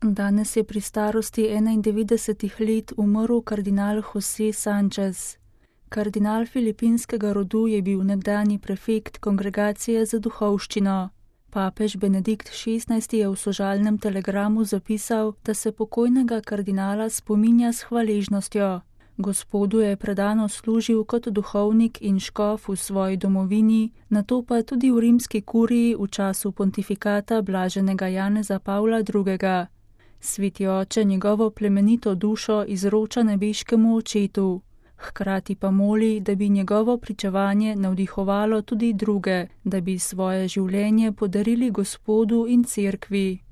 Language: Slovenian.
Danes je pri starosti 91 let umrl kardinal José Sánchez. Kardinal filipinskega rodu je bil nekdanji prefekt Kongregacije za duhovščino. Papež Benedikt XVI je v sožalnem telegramu zapisal, da se pokojnega kardinala spominja s hvaležnostjo. Gospodu je predano služil kot duhovnik in škof v svoji domovini, nato pa tudi v rimski kuriji v času pontifikata blaženega Janeza Pavla II. Sveti oče njegovo plemenito dušo izroča nebeškemu očetu. Hkrati pa moli, da bi njegovo pričevanje navdihovalo tudi druge, da bi svoje življenje podarili Gospodu in Cerkvi.